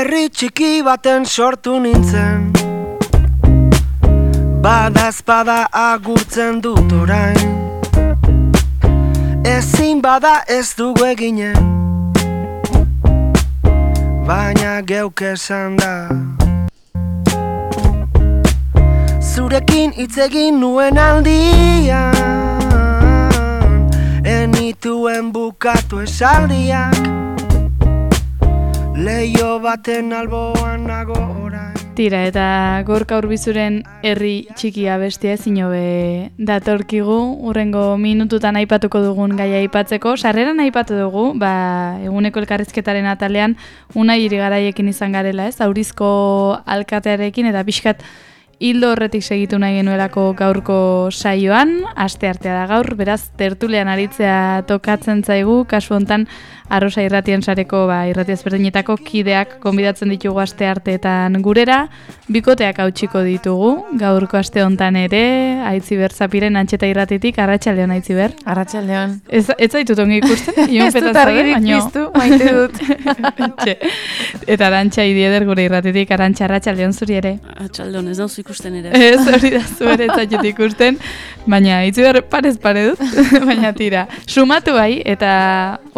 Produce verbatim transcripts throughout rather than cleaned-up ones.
herri txiki baten sortu nintzen, badazpada agurtzen dut orain, ezin bada ez dugu eginen, baina geuk esan da. Zurekin hitz egin nuen aldian, enituen bukatu esaldiak, leio baten alboan nago orain. Tira, eta Gorka Urbizuren herri txikia bestia ezin hobe datorkigu, urrengo minututan aipatuko dugun gaia aipatzeko. Sarreran aipatu dugu, ba, eguneko elkarrizketaren atalean Unai Irigaraiekin izan garela, ez? Aurizko alkatearekin eta pixkat hildo horretik segitu nahi genuelako gaurko saioan, aste artea da gaur, beraz tertulean aritzea tokatzen zaigu, kasu hontan Arrosa Irratien sareko ba, irrati ezberdinetako kideak gonbidatzen ditugu aste arteetan gurera, bikoteak hautsiko ditugu, gaurko aste hontan ere, Aitziber Zapiren Antxeta Irratitik, Arratsaldeon Aitziber. Arratsaldeon. Ez, ez zaitut ongi ikusten? Ez dut argirik piztu, maite dut. Eta Arantxa Idieder gure irratitik, Arantxa, Arratsaldeon zuri ere. Arratsaldeon, ez dauzu ikusten ere. Ez, hori da zuere ez zaitut ikusten, baina Aitziber parez pare dut, baina tira. Sumatu bai, eta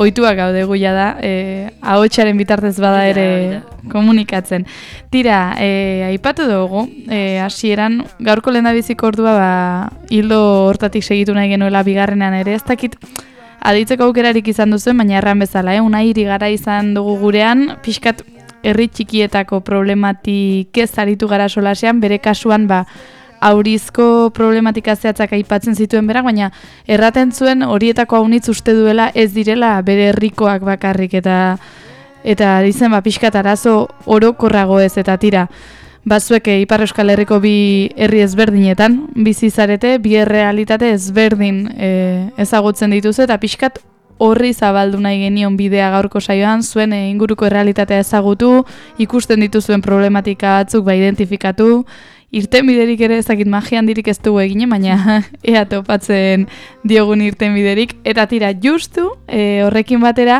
ohituak gaude guia da, eh, ahotsaren bitartez bada ere komunikatzen. Tira, eh, aipatu dugu, eh, hasieran gaurko lehendabiziko ordua ba, hildo hortatik segitu nahi genuela bigarrenean ere, ez dakit aditzeko aukerarik izan duzuen, baina erran bezala, eh, Unai Irigara izan dugu gurean, pixkat herri txikietako problematik ez aritu gara solasean, bere kasuan ba, Aurizko problematika zehatzak aipatzen zituen berak, baina erraten zuen horietako haunitz uste duela ez direla bere herrikoak bakarrik, eta eta dizen ba, pixkat arazo orokorrago ez, eta tira, bazuek Ipar Euskal Herriko bi herri ezberdinetan bizi zarete, bi errealitate ezberdin e, ezagutzen dituzu, eta pixkat horri zabaldu nahi genion bidea gaurko saioan, zuen e, inguruko errealitatea ezagutu, ikusten dituzuen problematika batzuk ba identifikatu, irtenbiderik ere ezakit magia handirik ez dugu egine, baina ea topatzen diogun irtenbiderik. Eta tira, justu e, horrekin batera,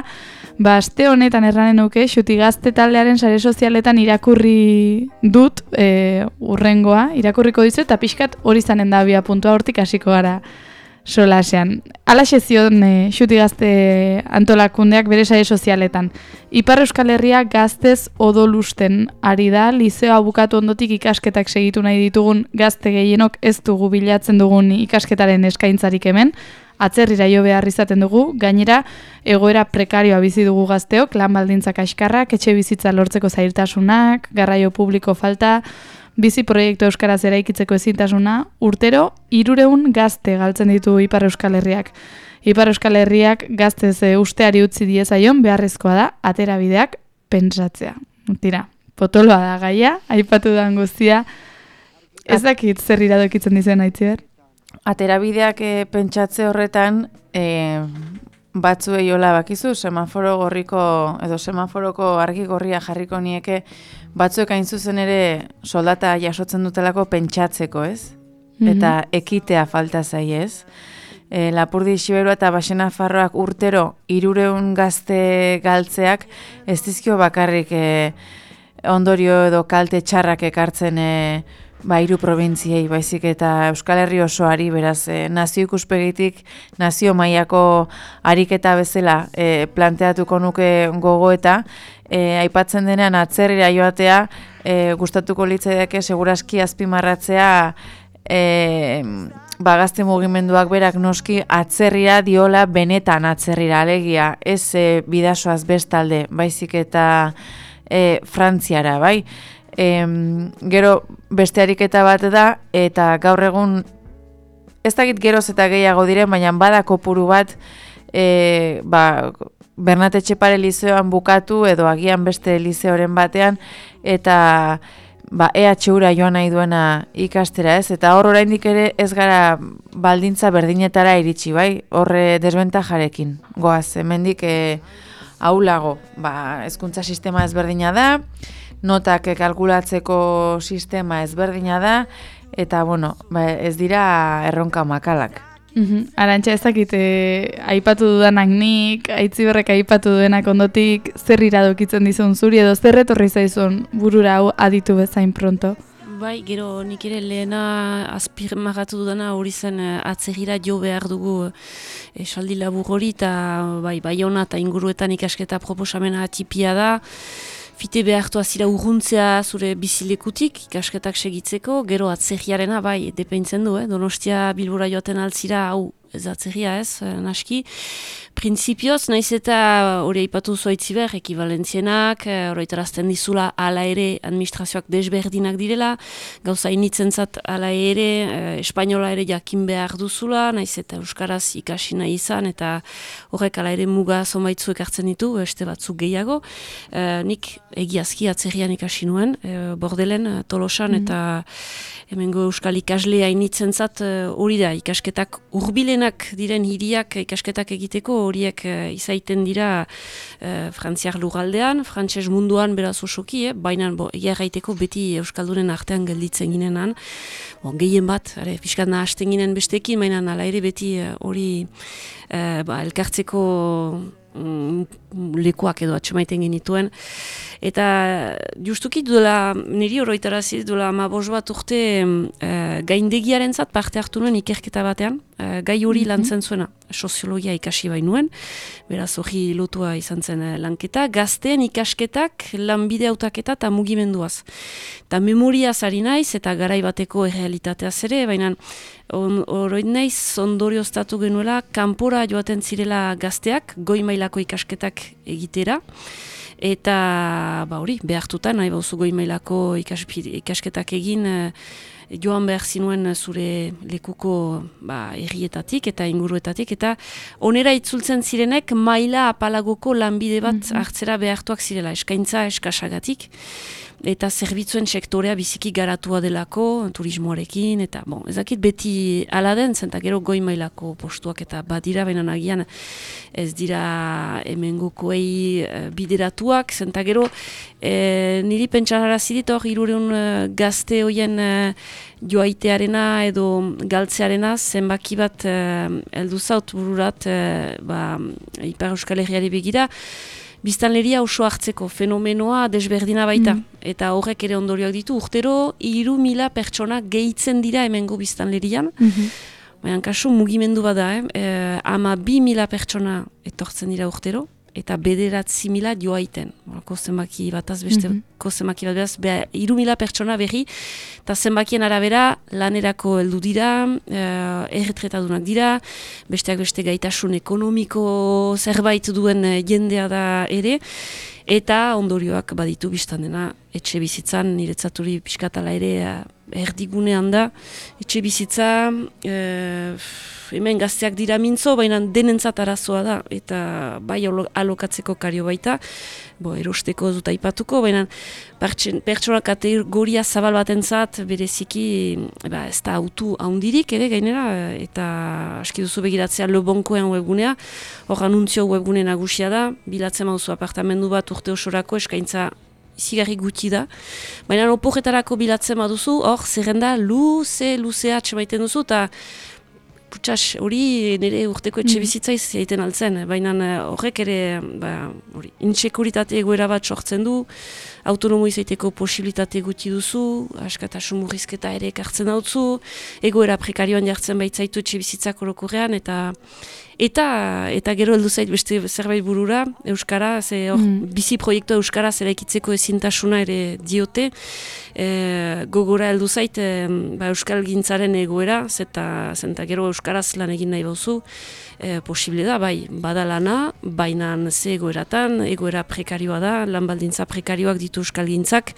ba, aste honetan erranen nuke, Xuti Gazte taldearen sare sozialetan irakurri dut e, urrengoa, irakurriko dizu, eta pixkat hori zanen da abia puntua, hortik hasiko gara solasean. Alaxe zion e, Xuti Gazte antolakundeak bere sare sozialetan. Ipar Euskal Herria gaztez odolusten ari da, lizeoa bukatu ondotik ikasketak segitu nahi ditugun gazte gehienok ez dugu bilatzen dugun ikasketaren eskaintzarik hemen, atzerrira jo behar izaten dugu, gainera egoera prekarioa bizi dugu gazteok, lan baldintzak kaskarrak, etxe bizitza lortzeko zailtasunak, garraio publiko falta, bizi proiektu euskaraz eraikitzeko ezintasuna, urtero hirurehun gazte galtzen ditu Ipar Euskal Herriak. Ipar Euskal Herriak gaztez e, usteari utzi diezaion beharrezkoa da aterabideak pentsatzea. Tira, potoloa da gaia, aipatu da guztia. Ez dakit zer iradokitzen dizen Aitziber? Aterabideak e, pentsatze horretan e, batzuei hola bakizu, semaforo gorriko edo semaforoko argi gorria jarriko nieke batzuek hain zuzen ere soldata jasotzen dutelako pentsatzeko, ez? Mm-hmm. Eta ekitea falta zaiez. E, Lapurdi Xiberua eta Baxena Farroak urtero hirurehun gazte galtzeak ez dizkio bakarrik e, ondorio edo kalte txarrak ekartzen e, ba, hiru probintziei, baizik eta Euskal Herri osoari, beraz, e, nazio ikuspegitik, nazio mailako ariketa bezala e, planteatuko nuke gogoeta, e, aipatzen denean atzerrira joatea, e, gustatuko litzaidake segurazki azpimarratzea e, ba, gazte mugimenduak berak noski atzerrira diola benetan atzerrira, alegia, ez e, bidasoaz bestalde, baizik eta e, Frantziara, bai? E, gero beste ariketa bat da, eta gaur egun ez dakit geroz eta gehiago diren, baina bada kopuru bat e, ba, Bernat Etxepare lizeoan bukatu edo agian beste lizeoren batean, eta ba, E H Ura joan nahi duena ikastera, ez? Eta hor oraindik ere ez gara baldintza berdinetara iritsi, bai? Horre desbentajarekin. Goaz, hemendik e, aulago, ba, hezkuntza sistema ezberdina da, notak kalkulatzeko sistema ezberdina da, eta bueno, ba, ez dira erronka makalak. Mhm. Arantxa, ez dakit, eh, aipatu dudanak nik, Aitziberrek aipatu duenak ondotik, zer iradokitzen dizun zuri, edo zer etorri zaizun burura hau aditu bezain pronto? Bai, gero nik ere lehena azpirmagatu dudana hori zen eh, atzegira jo behar dugu esaldi labur hori, eta bai, Baiona eta inguruetan ikasketa proposamena tipia da. Fite behartu azira urruntzea zure bizilekutik, ikasketak segitzeko, gero atzerriarena, bai, depeintzen du, eh? Donostia Bilbora joaten altzira, hau, ez atzerria ez, naski. Printzipioz, naiz eta hori aipatu zoitziber, ekivalentzienak, horretarazten dizula ala ere administrazioak desberdinak direla, gauza initzentzat ala ere, eh, espainola ere jakin behar duzula, naiz eta euskaraz ikasi nahi izan, eta horrek ala ere muga zonbaitzuek hartzen ditu, beste batzuk gehiago. Eh, nik egiazki atzerrian ikasi nuen, eh, Bordelen, Tolosan, mm-hmm. eta hemengo euskal ikaslea initzentzat hori da, ikasketak hurbilenak diren hiriak ikasketak egiteko, horiek uh, izaiten dira uh, frantziar lugaldean, frantses munduan beraz osoki, eh? Baina egia gaiteko beti euskaldunen artean gelditzen ginenan. Bon, gehien bat, are, pixkat nahasten ginen bestekin, baina ala ere beti hori uh, uh, ba, elkartzeko mm, lekuak edo atxemaiten genituen. Eta justuki duela, niri oroitarazi duela amabos bat urte uh, gaindegiaren zat parte hartu nuen ikerketa batean, uh, gai hori mm-hmm. lantzen zuena, soziologia ikasi bainuen, beraz hori lotua izan zen uh, lanketa, gazteen ikasketak, lanbide hautaketa eta mugimenduaz. Eta memoriaz ari naiz eta garai bateko errealitateaz ere, baina oroit naiz ondorioztatu genuela, kanpora joaten zirela gazteak, goi mailako ikasketak egitera, eta ba hori, behartuta, nahi bauzu goi mailako ikas, ikasketak egin, e, joan behar zinuen zure lekuko ba, errietatik eta inguruetatik, eta onera itzultzen zirenek maila apalagoko lanbide bat mm-hmm. hartzera behartuak zirela, eskaintza eskasagatik, eta zerbitzuen sektorea biziki garatua delako, turismoarekin, eta bon, ezakit beti ala den, zenta gero goi mailako postuak eta badira, baina nagian ez dira hemengokoei e, bideratuak, zenta gero e, niri pentsara zidit hor hirureun e, gazte hoien e, joaitearena edo galtzearena zenbaki bat e, heldu zaut bururat e, ba, Ipar Euskal Herriari begira, biztanleria oso hartzeko fenomenoa desberdina baita. Mm. Eta horrek ere ondorioak ditu. Urtero, hiru mila pertsona gehitzen dira hemengo biztanlerian. Mm-hmm. Baina kasu mugimendu bada, eh? E, ama bi mila pertsona etortzen dira urtero, eta bederatzi mila joaiten. Ko zenbaki bataz beste, mm-hmm. ko zenbaki bat behaz, beha, hiru mila pertsona berri, eta zenbakien arabera lanerako heldu dira, uh, erretretadunak dira, besteak beste gaitasun ekonomiko zerbait duen jendea da ere, eta ondorioak baditu biztan dena etxe bizitzan, niretzaturi pixkatala ere erdigunean da, etxe bizitza, uh, hemen gazteak dira mintzo, baina denentzat arazoa da, eta bai alokatzeko kario baita, bo, erosteko dut aipatuko, baina pertsona kategoria zabal batentzat bereziki ba, ez da autu haundirik ere gainera, eta aski duzu begiratzea Lebonkoen webgunea, hor anuntzio webgune nagusia da, bilatzen mauzu apartamendu bat urte osorako eskaintza izigarri gutxi da, baina oporretarako bilatzen baduzu, hor zerrenda luze, luzea atxemaiten duzu, eta Putsas, hori nire urteko etxe bizitzaiz egiten altzen, baina horrek ere ba, intsekuritate egoera bat sortzen du, autonomo izaiteko posibilitate gutxi duzu, askatasun murrizketa ere ekartzen dautzu, egoera prekarioan jartzen baitzaitu etxe bizitzak orokorrean, eta eta eta gero heldu zait beste zerbait burura, Euskara, ze hor, mm. bizi proiektua Euskaraz eraikitzeko ezintasuna ere diote, e, gogora heldu zait e, ba, Euskal gintzaren egoera, zeta, zenta gero Euskaraz lan egin nahi bauzu, e, posible da, bai, bada lana, baina ze egoeratan, egoera prekarioa da, lan baldintza prekarioak ditu Euskal gintzak,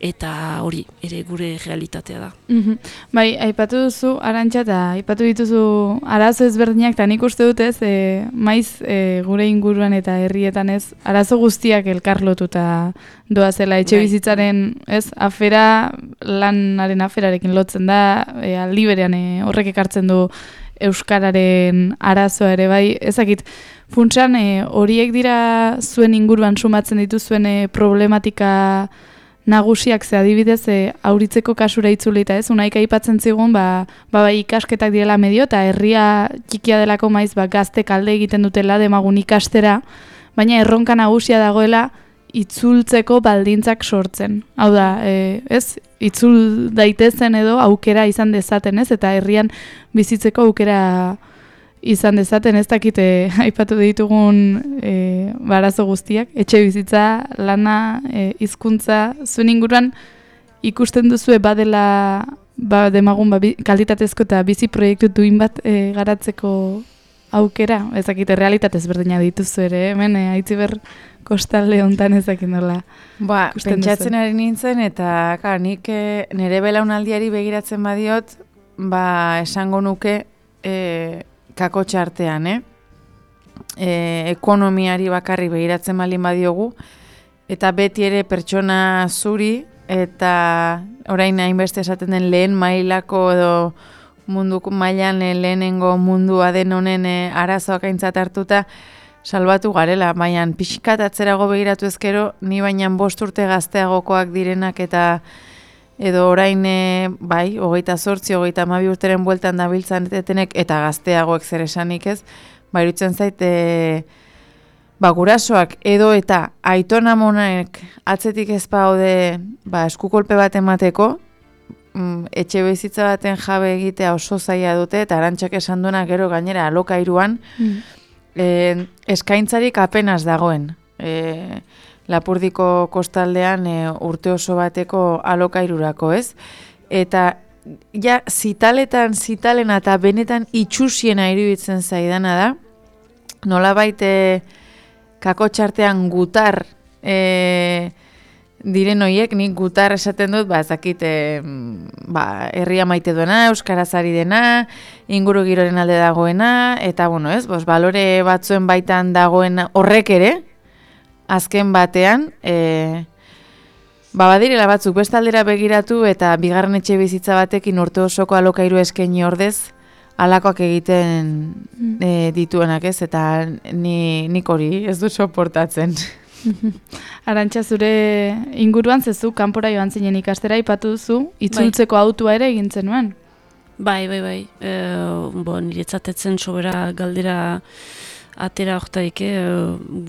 eta hori, ere gure realitatea da. Mm-hmm. Bai, aipatu duzu, Arantxa, eta aipatu dituzu arazo ezberdinak, eta nik uste dut ez, e, maiz e, gure inguruan eta herrietan ez, arazo guztiak elkarlotuta doa zela, etxe bizitzaren ez, afera, lanaren aferarekin lotzen da, e, aldi berean e, horrek ekartzen du euskararen arazoa ere, bai, ezakit, funtsan e, horiek dira zuen inguruan sumatzen dituzuen e, problematika nagusiak ze adibidez e, auritzeko kasura itzulita, ez? Unaik aipatzen zigun, ba, ba, ba ikasketak direla medio, eta herria txikia delako maiz, ba, gazte kalde egiten dutela demagun ikastera, baina erronka nagusia dagoela itzultzeko baldintzak sortzen. Hau da, e, ez? Itzul daitezen edo aukera izan dezaten, ez? Eta herrian bizitzeko aukera izan dezaten, ez dakite aipatu ditugun e, barazo guztiak, etxe bizitza, lana, e, hizkuntza, zuen inguruan ikusten duzue badela ba, demagun ba, kalitatezko eta bizi proiektu duin bat e, garatzeko aukera, ez dakite realitatez berdina dituzu ere, hemen e, Aitziber kostalde hontan ez dakit nola. Ba, pentsatzen ari nintzen, eta ka, nik e, nire belaunaldiari begiratzen badiot, ba, esango nuke e, kakotxe artean, eh? E, ekonomiari bakarri begiratzen baldin badiogu, eta beti ere pertsona zuri, eta orain hainbeste esaten den lehen mailako edo mundu mailan lehenengo mundua den honen e, arazoak aintzat hartuta salbatu garela, baina pixkat atzerago begiratu ezkero, ni baina bost urte gazteagokoak direnak eta edo orain, e, bai, hogeita zortzi, hogeita hamabi urteren bueltan dabiltzan etenek, eta gazteagoek zer esanik ez, ba, iruditzen zait, e, ba, gurasoak edo eta aitona monaek atzetik ez baude, ba, eskukolpe bat emateko, mm, etxe bizitza baten jabe egitea oso zaila dute, eta Arantxak esan duena gero gainera alokairuan, mm. e, eskaintzarik apenas dagoen. E, Lapurdiko kostaldean e, urte oso bateko alokairurako, ez? Eta ja zitaletan, zitalena eta benetan itxusiena iruditzen zaidana da, nolabait e, kakotxartean gutar e, diren hoiek, nik gutar esaten dut, ba, ezakit, e, ba, herria maite duena, euskaraz ari dena, inguru giroren alde dagoena, eta, bueno, ez, bos, balore batzuen baitan dagoen horrek ere, azken batean, e, ba, badirela batzuk bestaldera begiratu eta bigarren etxe bizitza batekin urte osoko alokairu eskaini ordez, alakoak egiten e, dituenak, ez? Eta ni, nik hori ez du soportatzen. Arantxa, zure inguruan zezu, kanpora joan zinen ikastera, ipatu duzu, itzultzeko bai. Autua ere egin zenuen? Bai, bai, bai. E, bo, niretzatetzen sobera galdera atera hortaik, eh,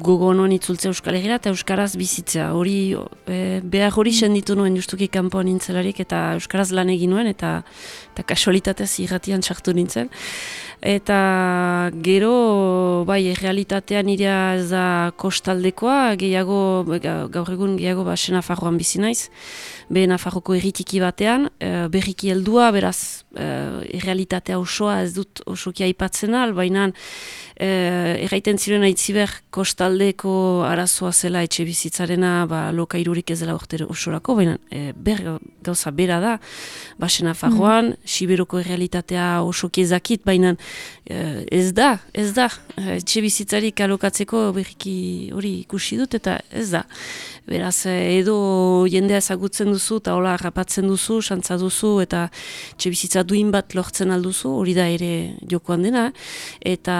gogo honen itzultze Euskal Herriera eta Euskaraz bizitzea. Hori, eh, behar hori senditu nuen justuki kanpoan nintzelarik eta Euskaraz lan egin nuen eta, eta kasualitatez irratian sartu nintzen. Eta gero, bai, realitatean irea ez da kostaldekoa, gehiago, gaur egun gehiago ba, Nafarroan bizi naiz, be Nafarroko erritiki batean, e, berriki heldua, beraz, e, realitatea osoa ez dut osoki aipatzen al, baina e, erraiten ziren Aitziber kostaldeko arazoa zela etxe bizitzarena, ba, lokairurik ez dela urte osorako, baina e, ber, gauza bera da, ba, Nafarroan, mm. Siberoko realitatea osoki ezakit, baina ez da, ez da, etxe bizitzarik alokatzeko berriki hori ikusi dut eta ez da. Beraz, edo jendea ezagutzen duzu eta hola harrapatzen duzu, santza duzu eta etxe bizitza duin bat lortzen alduzu, hori da ere jokoan dena, eta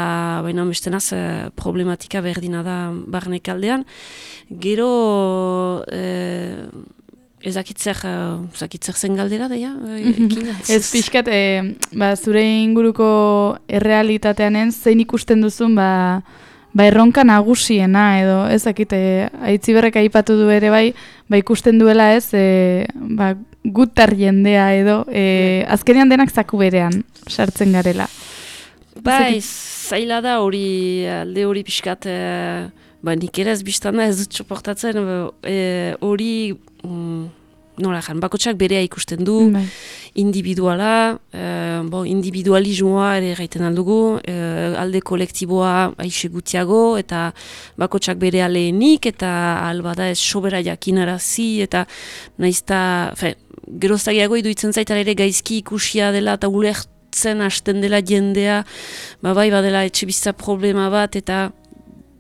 baina bestenaz problematika berdina da barnekaldean. Gero, eh, ezakitzer, ezakitzer zen galdera, daia? Ez pixkat, e, ba, zure inguruko errealitateanen zein ikusten duzun, ba, ba erronka nagusiena, edo ezakite, Aitziberrek aipatu du ere bai, ba ikusten duela ez, e, ba, gutar jendea edo, e, azkenean denak zaku berean sartzen garela. Bai, zaila da hori, alde hori pixkat, e, ba, nik ere ez biztana ez dut soportatzen, hori, mm, nola jan, bakotsak berea ikusten du, mm. individuala, e, bo, individualismoa ere gaiten aldugu, e, alde kolektiboa aixe gutiago, eta bakotsak berea lehenik, eta albada ez sobera jakinarazi, eta naizta, fe, geroztagiago iduitzen zaita ere gaizki ikusia dela, eta ulertzen hasten dela jendea, ba bai badela etxe bizitza problema bat, eta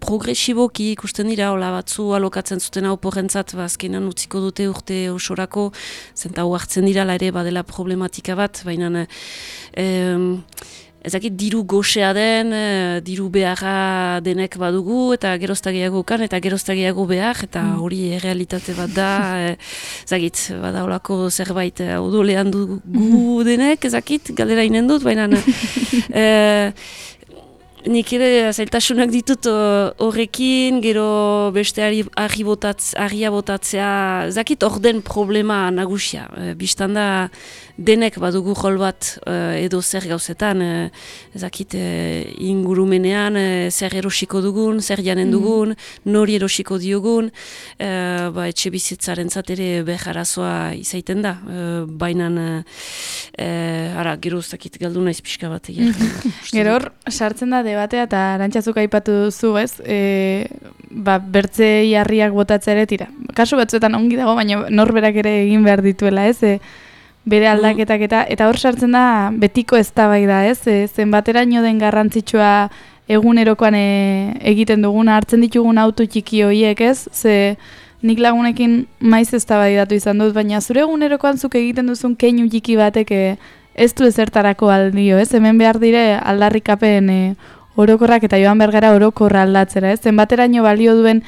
progresiboki ikusten dira, hola batzu alokatzen zuten hau porrentzat, ba, azkenan utziko dute urte osorako, zenta hau hartzen dira, ere badela problematika bat, baina eh, ezakit diru goxea den, e, diru beharra denek badugu, eta geroztagiago kan, eta geroztagiago behar, eta hori mm. errealitate bat da, e, ezakit, bada holako zerbait e, odolean dugu denek, ezakit, galdera inen dut, baina e, nik ere zailtasunak ditut horrekin, gero beste argi botatz, argia botatzea, ezakit orden problema nagusia, e, biztan da, denek badugu jol bat uh, edo zer gauzetan, uh, ezakit uh, ingurumenean uh, zer erosiko dugun, zer janen dugun, mm. nori erosiko diogun, uh, ba, etxe bizitzaren ere beharazoa izaiten da, uh, bainan, uh, uh, ara, gero ezakit galdu naiz pixka bat egia. Gero hor, sartzen da debatea eta Arantzazuk aipatu duzu, ez? E, ba, bertze jarriak botatzea ere tira. Kasu batzuetan ongi dago, baina norberak ere egin behar dituela, ez? E, bere aldaketak eta eta hor sartzen da betiko eztabaida, ez? E, zenbateraino den garrantzitsua egunerokoan e, egiten duguna, hartzen ditugun auto txiki horiek, ez? Ze nik lagunekin maiz eztabaidatu izan dut, baina zure egunerokoan zuk egiten duzun keinu txiki batek e, ez du ezertarako aldio, ez? Hemen behar dire aldarrikapen e, orokorrak eta joan bergara orokorra aldatzera, ez? Zenbateraino balio duen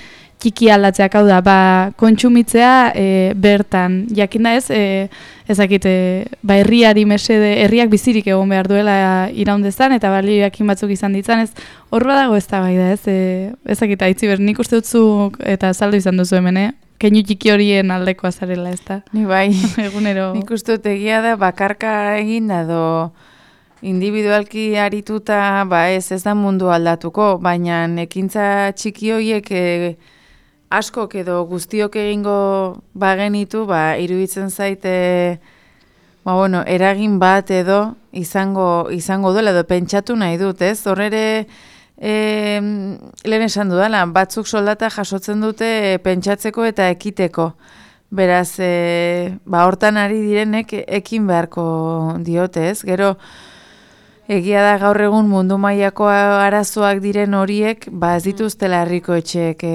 txiki aldatzeak, hau da, ba, kontsumitzea e, bertan, jakin da ez, e, ezakit, e, ba, herriari mesede, herriak bizirik egon behar duela iraundezan, eta balio jakin batzuk izan ditzan, ez, hor badago ez da bai da, ez, e, ezakit, aitzi ber, nik uste dutzuk, eta saldu izan duzu hemen, eh? Keinu txiki horien aldekoa zarela, ez da? Ni bai, egunero. Nik uste dut egia da, bakarka egin da, do, individualki arituta, ba ez, ez da mundu aldatuko, baina ekintza txiki horiek e, askok edo guztiok egingo bagenitu, ba, iruditzen zaite, ba, bueno, eragin bat edo izango, izango duela, edo pentsatu nahi dut, ez? Horrere, e, lehen esan dudala, batzuk soldata jasotzen dute e, pentsatzeko eta ekiteko. Beraz, e, ba, hortan ari direnek ekin beharko diote, ez? Gero, egia da gaur egun mundu mailako arazoak diren horiek, ba, ez dituztela herriko etxeek e,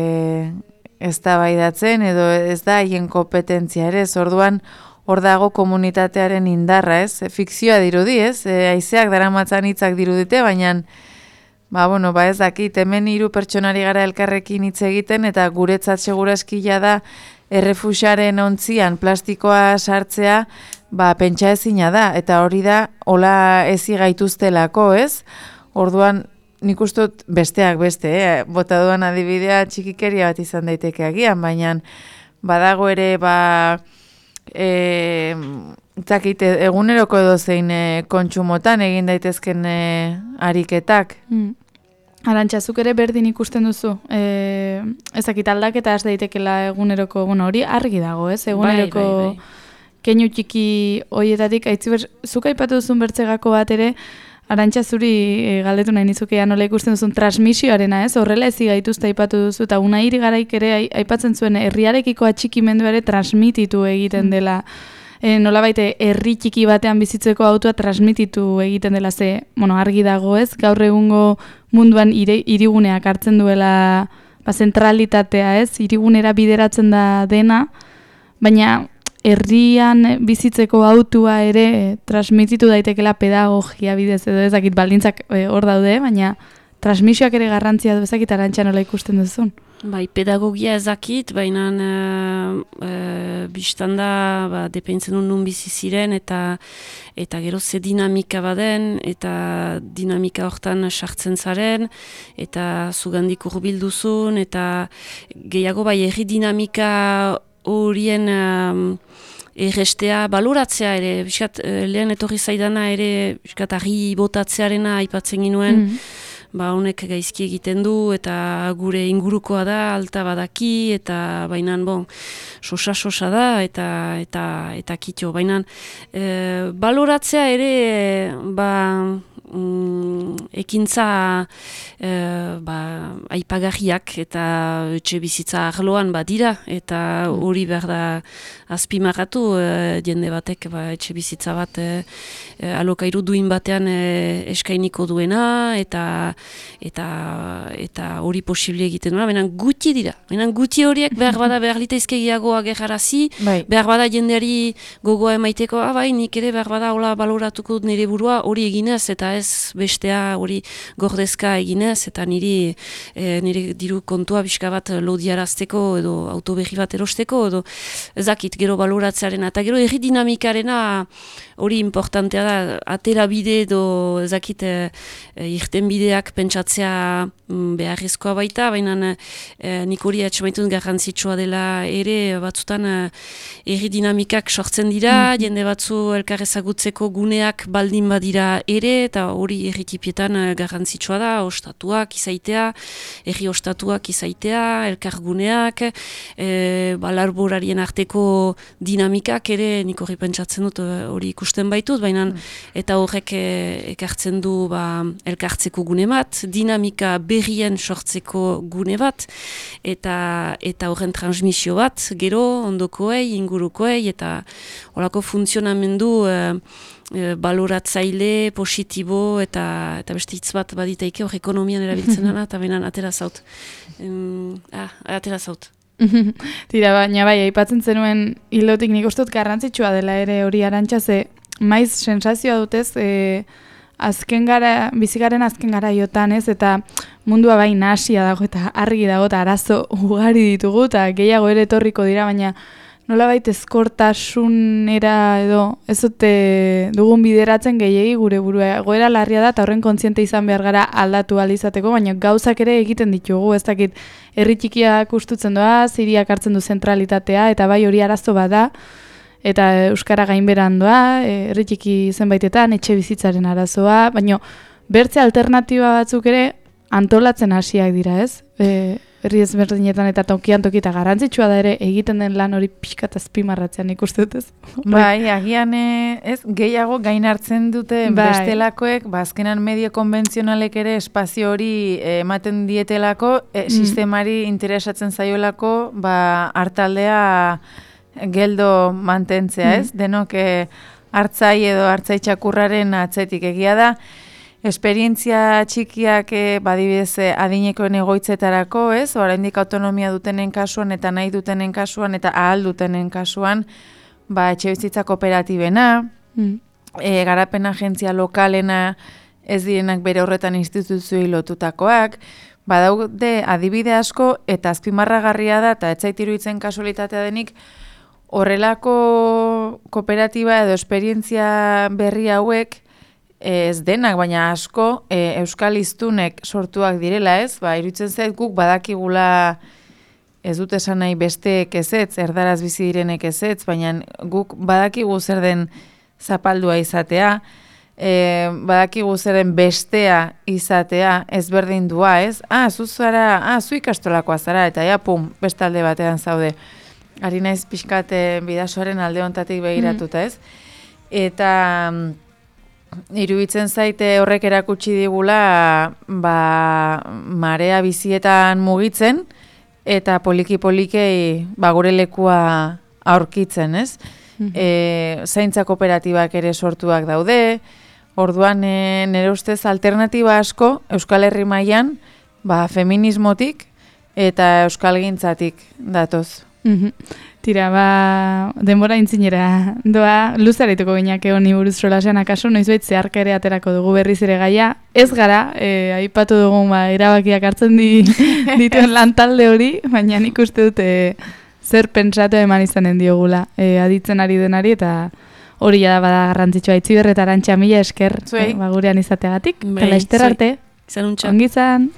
eztabaidatzen edo ez da haien kompetentzia ere, ez orduan hor dago komunitatearen indarra, ez? E, fikzioa dirudi, ez? E, haizeak daramatzan hitzak dirudite, baina ba, bueno, ba ez dakit, hemen hiru pertsonari gara elkarrekin hitz egiten eta guretzat seguraskila da errefuxaren ontzian plastikoa sartzea, ba, pentsa ezina da, eta hori da, hola ezi gaituztelako, ez? Orduan, nik uste dut besteak beste, eh? Bota duan adibidea txikikeria bat izan daiteke agian, baina badago ere, ba, e, zakite, eguneroko edo zein e, kontsumotan egin daitezken e, ariketak. Mm. Arantzazuk ere berdin ikusten duzu. E, ezakit aldaketa ez daitekela eguneroko, bueno, hori argi dago, ez? Eguneroko bai, bai, bai. Keinu txiki hoietatik, aitziber, zuk aipatu duzun bertzegako bat ere, Arantxa zuri e, galdetu nahi nizukean nola ikusten duzun transmisioarena, ez? Horrela ezi gaituzta aipatu duzu, eta Unairi garaik ere aipatzen zuen herriarekiko atxikimendu ere transmititu egiten dela. E, nola baite, herri txiki batean bizitzeko autua transmititu egiten dela, ze, bueno, argi dago, ez? Gaur egungo munduan ire, iriguneak hartzen duela ba, zentralitatea, ez? Irigunera bideratzen da dena, baina herrian bizitzeko autua ere e, transmititu daitekela pedagogia bidez edo ezakit baldintzak hor e, daude, baina transmisioak ere garrantzia du ezakit Arantxa nola ikusten duzun. Bai, pedagogia ezakit, baina e, e, biztanda ba, depentzen duen nun bizi ziren eta eta gero ze dinamika baden eta dinamika hortan sartzen zaren eta zugandik hurbil duzun eta gehiago bai herri dinamika horien um, errestea baloratzea ere, biskat, lehen etorri zaidana ere, biskat, argi botatzearena aipatzen ginuen, mm. ba, honek gaizki egiten du, eta gure ingurukoa da, alta badaki, eta bainan, bon, sosa-sosa da, eta eta eta kitxo, bainan, e, baloratzea ere, ba, mm, ekintza e, ba, aipagarriak eta etxe bizitza arloan badira, eta hori behar da azpimarratu e, jende batek ba, etxe bizitza bat e, e, alokairu duin batean e, eskainiko duena, eta eta eta hori posible egiten duena, baina guti dira, baina guti horiek behar bada behar litaizkegiago agerrarazi, bai. Behar bada jendeari gogoa emaiteko, ah, bai, nik ere behar bada hola baloratuko nire burua hori eginez, eta ez bestea hori gordezka eginez, eta niri e, nire diru kontua pixka bat lodiarazteko edo autoberri bat erosteko, edo ezakit gero baloratzearen, eta gero erri dinamikarena hori importantea da, atera bide edo ezakit e, irten bideak pentsatzea mm, beharrezkoa baita, baina e, nik hori atxamaitun garrantzitsua dela ere batzutan e, erri dinamikak sortzen dira, mm-hmm. jende batzu elkarrezagutzeko guneak baldin badira ere, eta hori erritipietan garrantzitsua da, ostatuak izaitea, erri ostatuak izaitea, elkarguneak, e, balarborarien arteko dinamikak ere, nik hori pentsatzen dut hori ikusten baitut, baina mm. eta horrek e, ekartzen du ba, elkartzeko gune bat, dinamika berrien sortzeko gune bat, eta eta horren transmisio bat, gero ondokoei, ingurukoei, eta horako funtzionamendu e, e, baloratzaile, positibo, eta eta beste hitz bat baditaike hor ekonomian erabiltzen dana, eta benan atera zaut. Um, ah, atera zaut. Tira, baina bai, aipatzen zenuen hilotik nik uste dut garrantzitsua dela ere hori Arantxa, ze maiz sensazioa dutez, e, azken gara, bizigaren azken gara iotan ez, eta mundua bai nahasia dago eta argi dago eta arazo ugari ditugu, eta gehiago ere etorriko dira, baina nolabait ezkortasunera edo ez dute dugun bideratzen gehiegi gure burua egoera larria da eta horren kontziente izan behar gara aldatu ahal izateko, baina gauzak ere egiten ditugu, ez dakit herri txikiak ustutzen doa, hiriak hartzen du zentralitatea eta bai hori arazo bada eta euskara gainberan doa, herri txiki zenbaitetan etxe bizitzaren arazoa, baina bertze alternatiba batzuk ere antolatzen hasiak dira, ez? E, herri ezberdinetan eta tokian tokita garrantzitsua da ere egiten den lan hori pixka eta azpimarratzean ikuste dut ez. Bai, agian ez gehiago gain hartzen dute bai. Bestelakoek, ba, azkenan medio konbentzionalek ere espazio hori ematen dietelako, e, mm. sistemari interesatzen zaiolako, ba, hartaldea geldo mantentzea, ez? Mm. Denok hartzai edo hartzai txakurraren atzetik egia da. Esperientzia txikiak badibidez adinekoen egoitzetarako, ez? Oraindik autonomia dutenen kasuan eta nahi dutenen kasuan eta ahal dutenen kasuan, ba etxebizitza kooperatibena, mm. e, garapen agentzia lokalena ez direnak bere horretan instituzioei lotutakoak, badaude adibide asko eta azpimarragarria da eta ez zait iruditzen kasualitatea denik horrelako kooperatiba edo esperientzia berri hauek ez denak, baina asko e, euskal hiztunek sortuak direla, ez? Ba, iruditzen zait guk badakigula ez dut esan nahi besteek ezetz, erdaraz bizi direnek ezetz, baina guk badakigu zer den zapaldua izatea, e, badakigu zer den bestea izatea, ezberdindua, ez? Ah, zu zara, ah, zu ikastolakoa zara, eta ja, pum, beste alde batean zaude. Ari naiz pixkat bidasoaren alde hontatik begiratuta, ez? Eta iruditzen zaite horrek erakutsi digula ba, marea bizietan mugitzen eta poliki-polikei ba, gure lekua aurkitzen, ez? Mm-hmm. E, zaintza kooperatibak ere sortuak daude, orduan e, nire ustez alternatiba asko Euskal Herri mailan ba, feminismotik eta euskalgintzatik datoz. Mm-hmm. Tira, ba, denbora intzinera doa, luzaretuko gineak honi buruz solasean akaso, noizbait zeharka ere aterako dugu berriz ere gaia. Ez gara, e, aipatu dugu ba, erabakiak hartzen di, dituen lantalde hori, baina nik uste dute zer pentsatu eman izanen diogula e, aditzen ari denari, eta hori da bada garrantzitsua. Itziber eta Arantxa, mila esker e, ba, gurean izateagatik. Kala ester arte, izan untxa. Ongizan.